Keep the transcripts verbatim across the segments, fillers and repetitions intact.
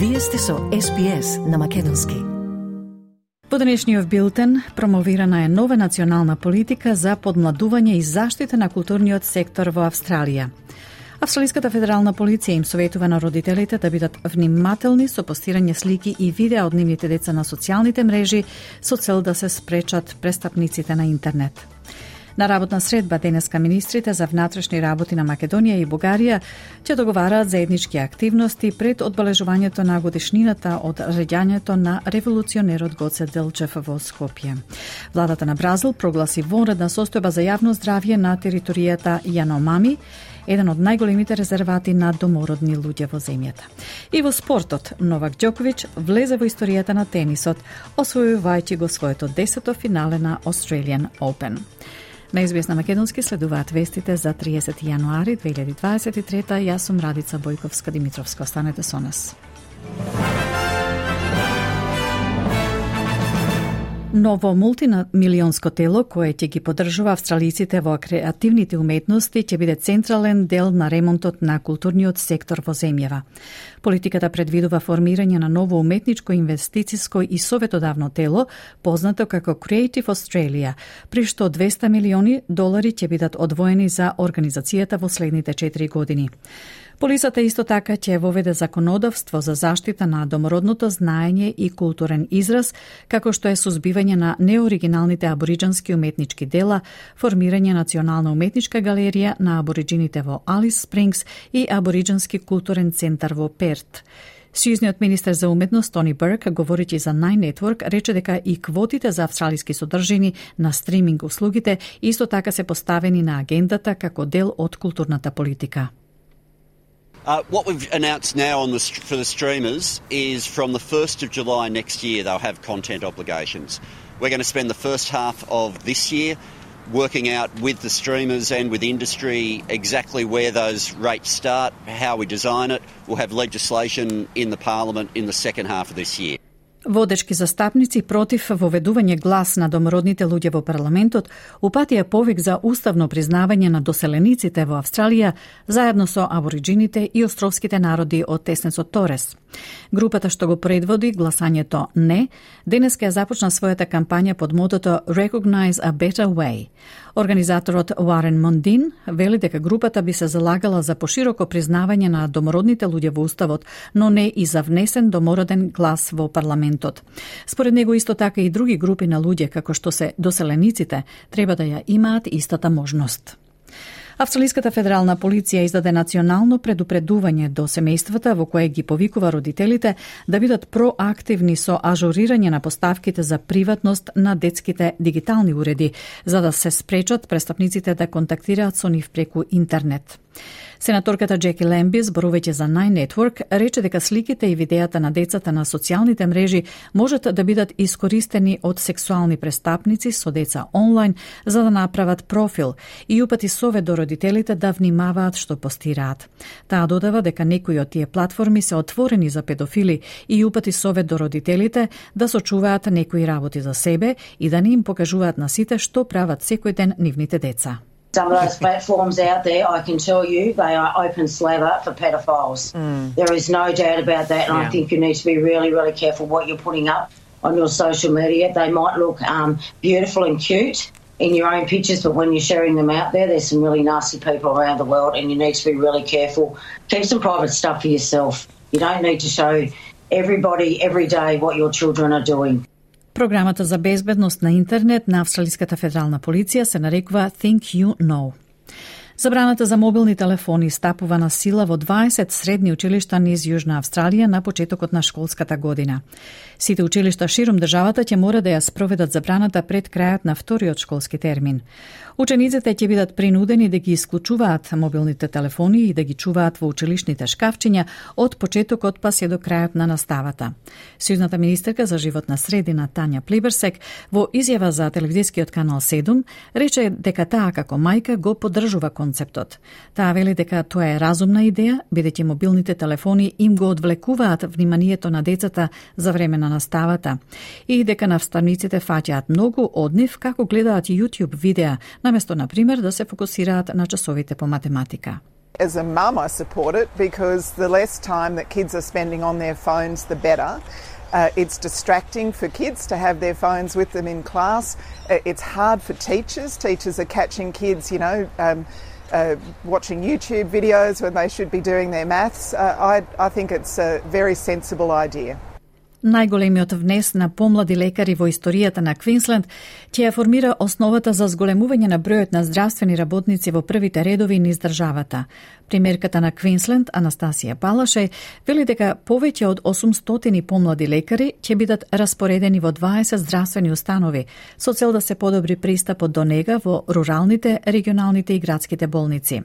Вие сте со Ес Би Ес на македонски. Во денешниот билтен промовирана е нова национална политика за подмладување и заштита на културниот сектор во Австралија. Австралиската федерална полиција им советува на родителите да бидат внимателни со постирање слики и видеа од нивните деца на социјалните мрежи со цел да се спречат престапниците на интернет. На работна средба денеска министрите за внатрешни работи на Македонија и Бугарија ќе договараат заеднички активности пред одбележувањето на годишнината од раѓањето на револуционерот Гоце Делчев во Скопје. Владата на Бразил прогласи вонредна состојба за јавно здравје на територијата Јаномами, еден од најголемите резервати на домородни луѓе во земјата. И во спортот, Новак Ѓоковиќ влезе во историјата на тенисот, освојувајќи го своето десето финале на Australian Open. На Ес Би Ес на македонски следуваат вестите за триесети јануари две илјади дваесет и трета. Јас сум Радица Бојковска-Димитровска. Останете со нас. Ново мултимилионско тело кое ќе ги поддржува австралиците во креативните уметности ќе биде централен дел на ремонтот на културниот сектор во земјава. Политиката предвидува формирање на ново уметничко, инвестициско и советодавно тело, познато како Creative Australia, при што двесте милиони долари ќе бидат одвоени за организацијата во следните четири години. Полицата исто така ќе воведе законодавство за заштита на домородното знаење и културен израз, како што е сузбивање на неоригиналните абориџански уметнички дела, формирање национална уметничка галерија на абориџините во Алис Спрингс и абориџански културен центар во Перт. Сјузниот министер за уметност Тони Бурк, говорејќи за Nine Network, рече дека и квотите за австралиски содржини на стриминг услугите исто така се поставени на агендата како дел од културната политика. Uh, what we've announced now on the, for the streamers is from the first of July next year they'll have content obligations. We're going to spend the first half of this year working out with the streamers and with industry exactly where those rates start, how we design it. We'll have legislation in the Parliament in the second half of this year. Водечки застапници против воведување глас на домородните луѓе во парламентот упатија повик за уставно признавање на доселениците во Австралија заедно со абориџините и островските народи од теснецот Торес. Групата што го предводи гласањето «Не» денеска ја започна својата кампања под мотото Recognize a Better Way. Организаторот Уарен Мондин вели дека групата би се залагала за пошироко признавање на домородните луѓе во уставот, но не и за внесен домороден глас во парламентот. Според него исто така и други групи на луѓе, како што се доселениците, треба да ја имаат истата можност. Австралиската федерална полиција издаде национално предупредување до семејствата во кое ги повикува родителите да бидат проактивни со ажурирање на поставките за приватност на детските дигитални уреди, за да се спречат престапниците да контактираат со нив преку интернет. Сенаторката Джеки Лемби, зборувајќи за Nine Network, рече дека сликите и видеата на децата на социјалните мрежи можат да бидат искористени од сексуални престапници со деца онлайн за да направат профил и упати совет до родителите да внимаваат што постираат. Таа додава дека некои од тие платформи се отворени за педофили и упати совет до родителите да сочуваат некои работи за себе и да не им покажуваат на сите што прават секој ден нивните деца. Some of those platforms out there, I can tell you, they are open slather for pedophiles. Mm. There is no doubt about that, and yeah. I think you need to be really, really careful what you're putting up on your social media. They might look um, beautiful and cute in your own pictures, but when you're sharing them out there, there's some really nasty people around the world, and you need to be really careful. Keep some private stuff for yourself. You don't need to show everybody every day what your children are doing. Програмата за безбедност на интернет на Австралиската федерална полиција се нарекува Think You Know. Забраната за мобилни телефони стапува на сила во дваесет средни училишта низ Јужна Австралија на почетокот на школската година. Сите училишта широм државата ќе мора да ја спроведат забраната пред крајот на вториот школски термин. Учениците ќе бидат принудени да ги исклучуваат мобилните телефони и да ги чуваат во училишните шкафчиња од почетокот па се до крајот на наставата. Сјузната министерка за животна средина Тања Плиберсек во изјава за телевизискиот канал седум рече дека таа како мајка го поддржува концептот. Таа вели дека тоа е разумна идеја, бидејќи мобилните телефони им го одвлекуваат вниманието на децата за време на наставата и дека наставниците фаќаат многу од нив како гледаат YouTube видеа, наместо, например, да се фокусираат на часовите по математика. As a mum, I support it because the less time that kids are spending on their phones, the better. Uh, it's distracting for kids to have their phones with them in class. Uh, it's hard for teachers. Teachers are catching kids, you know, um, uh, watching YouTube videos when they should be doing their maths. Uh, I, I think it's a very sensible idea. Најголемиот внес на помлади лекари во историјата на Квинсленд ќе ја формира основата за зголемување на бројот на здравствени работници во првите редови низ државата. Премиерката на Квинсленд, Анастасија Палаше, вели дека повеќе од осумстотини помлади лекари ќе бидат распоредени во дваесет здравствени установи со цел да се подобри пристапот до нега во руралните, регионалните и градските болници.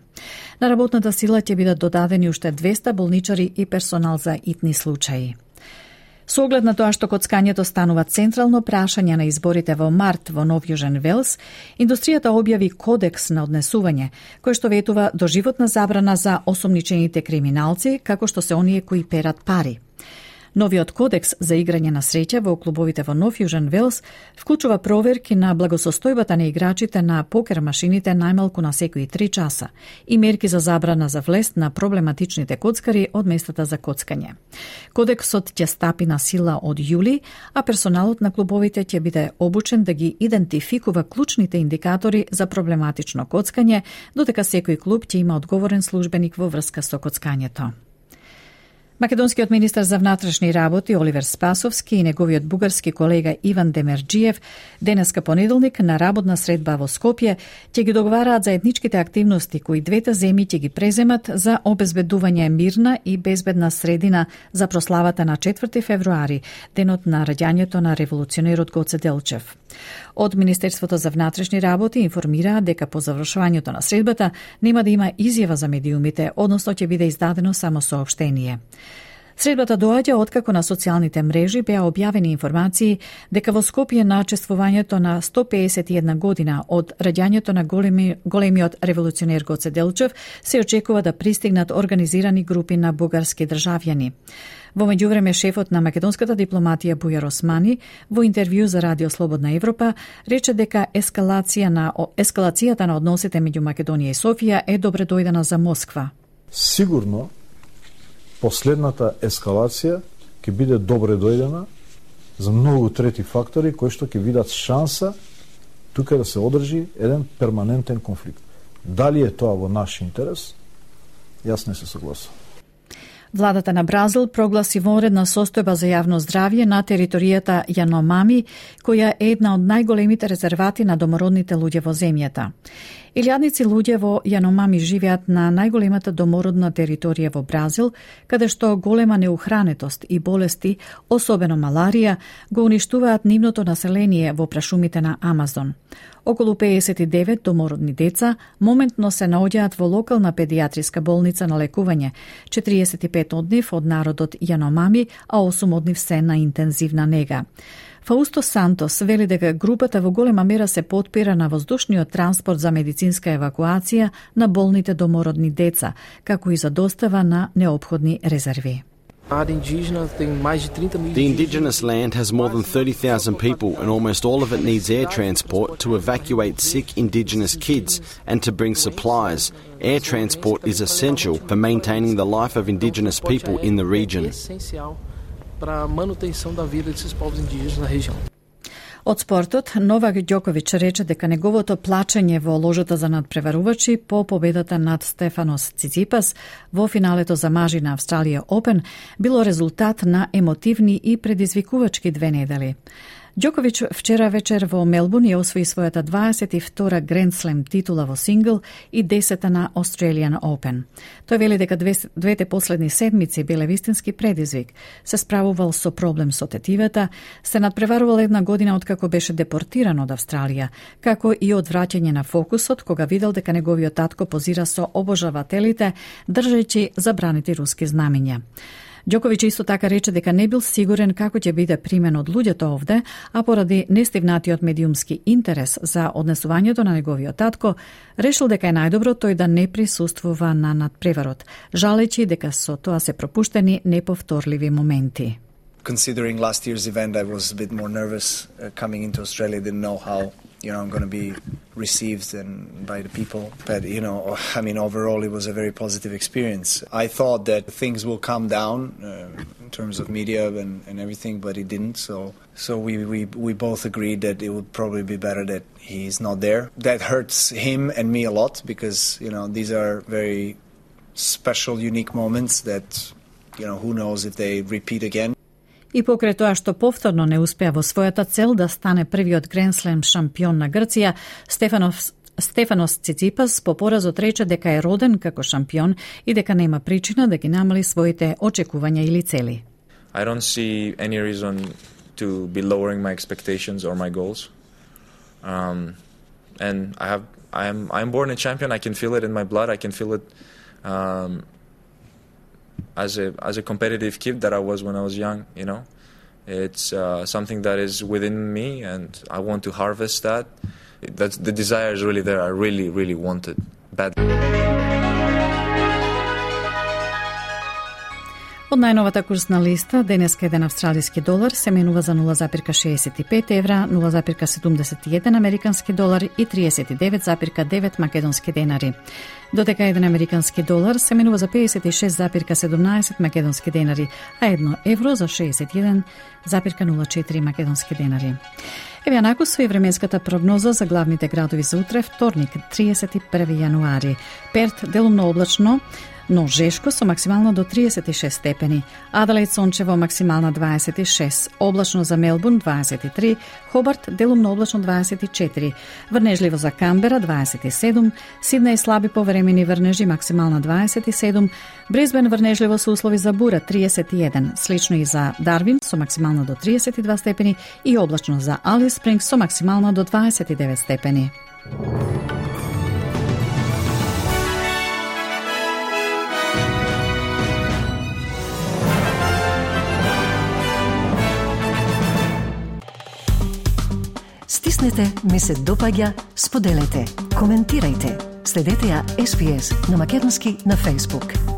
На работната сила ќе бидат додадени уште двеста болничари и персонал за итни случаи. Со оглед на тоа што коцкањето станува централно прашање на изборите во март во Нов Јужен Велс, индустријата објави кодекс на однесување, кој што ветува доживотна забрана за осомничените криминалци, како што се оние кои перат пари. Новиот кодекс за играње на среќа во клубовите во Нов Јужен Велс вклучува проверки на благосостојбата на играчите на покер машините најмалку на секои три часа и мерки за забрана за влест на проблематичните коцкари од местата за коцкање. Кодексот ќе стапи на сила од јули, а персоналот на клубовите ќе биде обучен да ги идентификува клучните индикатори за проблематично коцкање, додека секој клуб ќе има одговорен службеник во врска со коцкањето. Македонскиот министар за внатрешни работи Оливер Спасовски и неговиот бугарски колега Иван Демерџиев денеска понеделник на работна средба во Скопје ќе ги договараат заедничките активности кои двете земји ќе ги преземат за обезбедување мирна и безбедна средина за прославата на четврти февруари, денот на раѓањето на револуционерот Гоце Делчев. Од Министерството за внатрешни работи информираат дека по завршувањето на средбата нема да има изјава за медиумите, односно ќе биде издадено само соопштение. Средбата доаѓа откако на социјалните мрежи беа објавени информации дека во Скопје на чествувањето на сто пеесет и една година од раѓањето на големи, големиот револуционер Гоце Делчев се очекува да пристигнат организирани групи на бугарски државјани. Во меѓувреме, шефот на македонската дипломатија Бујар Османи во интервју за Радио Слободна Европа рече дека ескалација на, ескалацијата на односите меѓу Македонија и Софија е добре дојдена за Москва. Сигурно последната ескалација ќе биде добре дојдена за многу трети фактори кои што ќе видат шанса тука да се одржи еден перманентен конфликт. Дали е тоа во наш интерес? Јас не се согласувам. Владата на Бразил прогласи вонредна состојба за јавно здравје на територијата Јаномами, која е една од најголемите резервати на домородните луѓе во земјата. Илјадници луѓе во Јаномами живеат на најголемата домородна територија во Бразил, каде што голема неухранетост и болести, особено маларија, го уништуваат нивното население во прашумите на Амазон. Околу пеесет и девет домородни деца моментно се наоѓаат во локална педијатриска болница на лекување, четириесет и пет од нив од народот Јаномами, а осум од нив се на интензивна нега. Фаусто Сантос вели дека групата во голема мера се потпира на воздушниот транспорт за медицинска евакуација на болните домородни деца, како и за достава на неопходни резерви. The indigenous land has more than thirty thousand people and almost all of it needs air transport to evacuate sick indigenous kids and to bring supplies. Air transport is essential for maintaining the life of indigenous people in the region. Од спортот, Новак Ѓоковиќ рече дека неговото плачење во ложата за надпреварувачи по победата над Стефанос Циципас во финалето за мажи на Австралија Опен било резултат на емотивни и предизвикувачки две недели. Ѓоковиќ вчера вечер во Мелбурн ја освои својата дваесет и втора Grand Slam титула во сингл и десета на Australian Open. Тој вели дека двете последни седмици биле вистински предизвик. Се справувал со проблем со тетивата, се надпреварувал една година откако беше депортиран од Австралија, како и од враќање на фокусот кога видел дека неговиот татко позира со обожавателите, држејќи забраните руски знамења. Ѓоковиќ исто така рече дека не бил сигурен како ќе биде примен од луѓето овде, а поради нестивнатиот медиумски интерес за однесувањето на неговиот татко, решил дека е најдобро тој да не присуствува на надпреварот, жалејќи дека со тоа се пропуштени неповторливи моменти. Considering last year's event, I was a bit more nervous uh, coming into Australia. Didn't know how you know, going to be received and by the people. But, you know, I mean, overall, it was a very positive experience. I thought that things will calm down uh, in terms of media and, and everything, but it didn't. So so we, we, we both agreed that it would probably be better that he's not there. That hurts him and me a lot because, you know, these are very special, unique moments that, you know, who knows if they repeat again. И покрај тоа што повторно не успеа во својата цел да стане првиот Grand Slam шампион на Грција, Стефанов Стефанос Циципас по поразот рече дека е роден како шампион и дека нема причина да ги намали своите очекувања или цели. I don't see any reason to be lowering my expectations or my goals. Um, and I have I'm I'm born a champion. I can feel it in my blood. I can feel it um, as a as a competitive kid that I was when I was young. You know, it's uh, something that is within me, and I want to harvest that. That's the desire is really there. I really, really want it badly. Од најновата курсна листа, денеска еден австралиски долар се менува за нула запирка шеесет и пет евра, нула запирка седумдесет и еден американски долар и триесет и девет запирка девет македонски денари. Додека еден американски долар се менува за педесет и шест запирка седумнаесет македонски денари, а едно евро за шеесет и еден запирка нула четири македонски денари. Еве онаку со и временската прогноза за главните градови за утре, вторник, триесет и први јануари. Перт делумно облачно, но жешко со максимално до триесет и шест степени. Аделаид сончево максимална дваесет и шест, облачно за Мелбурн дваесет и три, Хобарт делумно облачно дваесет и четири, врнежливо за Камбера дваесет и седум, Сиднеј слаби повремени врнежи максимална дваесет и седум, Брисбен врнежливо со услови за бура триесет и еден, слично и за Дарвин со максимално до триесет и два степени и облачно за Алис Спрингс со максимално до дваесет и девет степени. Стиснете, ми се допаѓа, споделете, коментирајте. Следете ја Ес Би Ес на македонски на Facebook.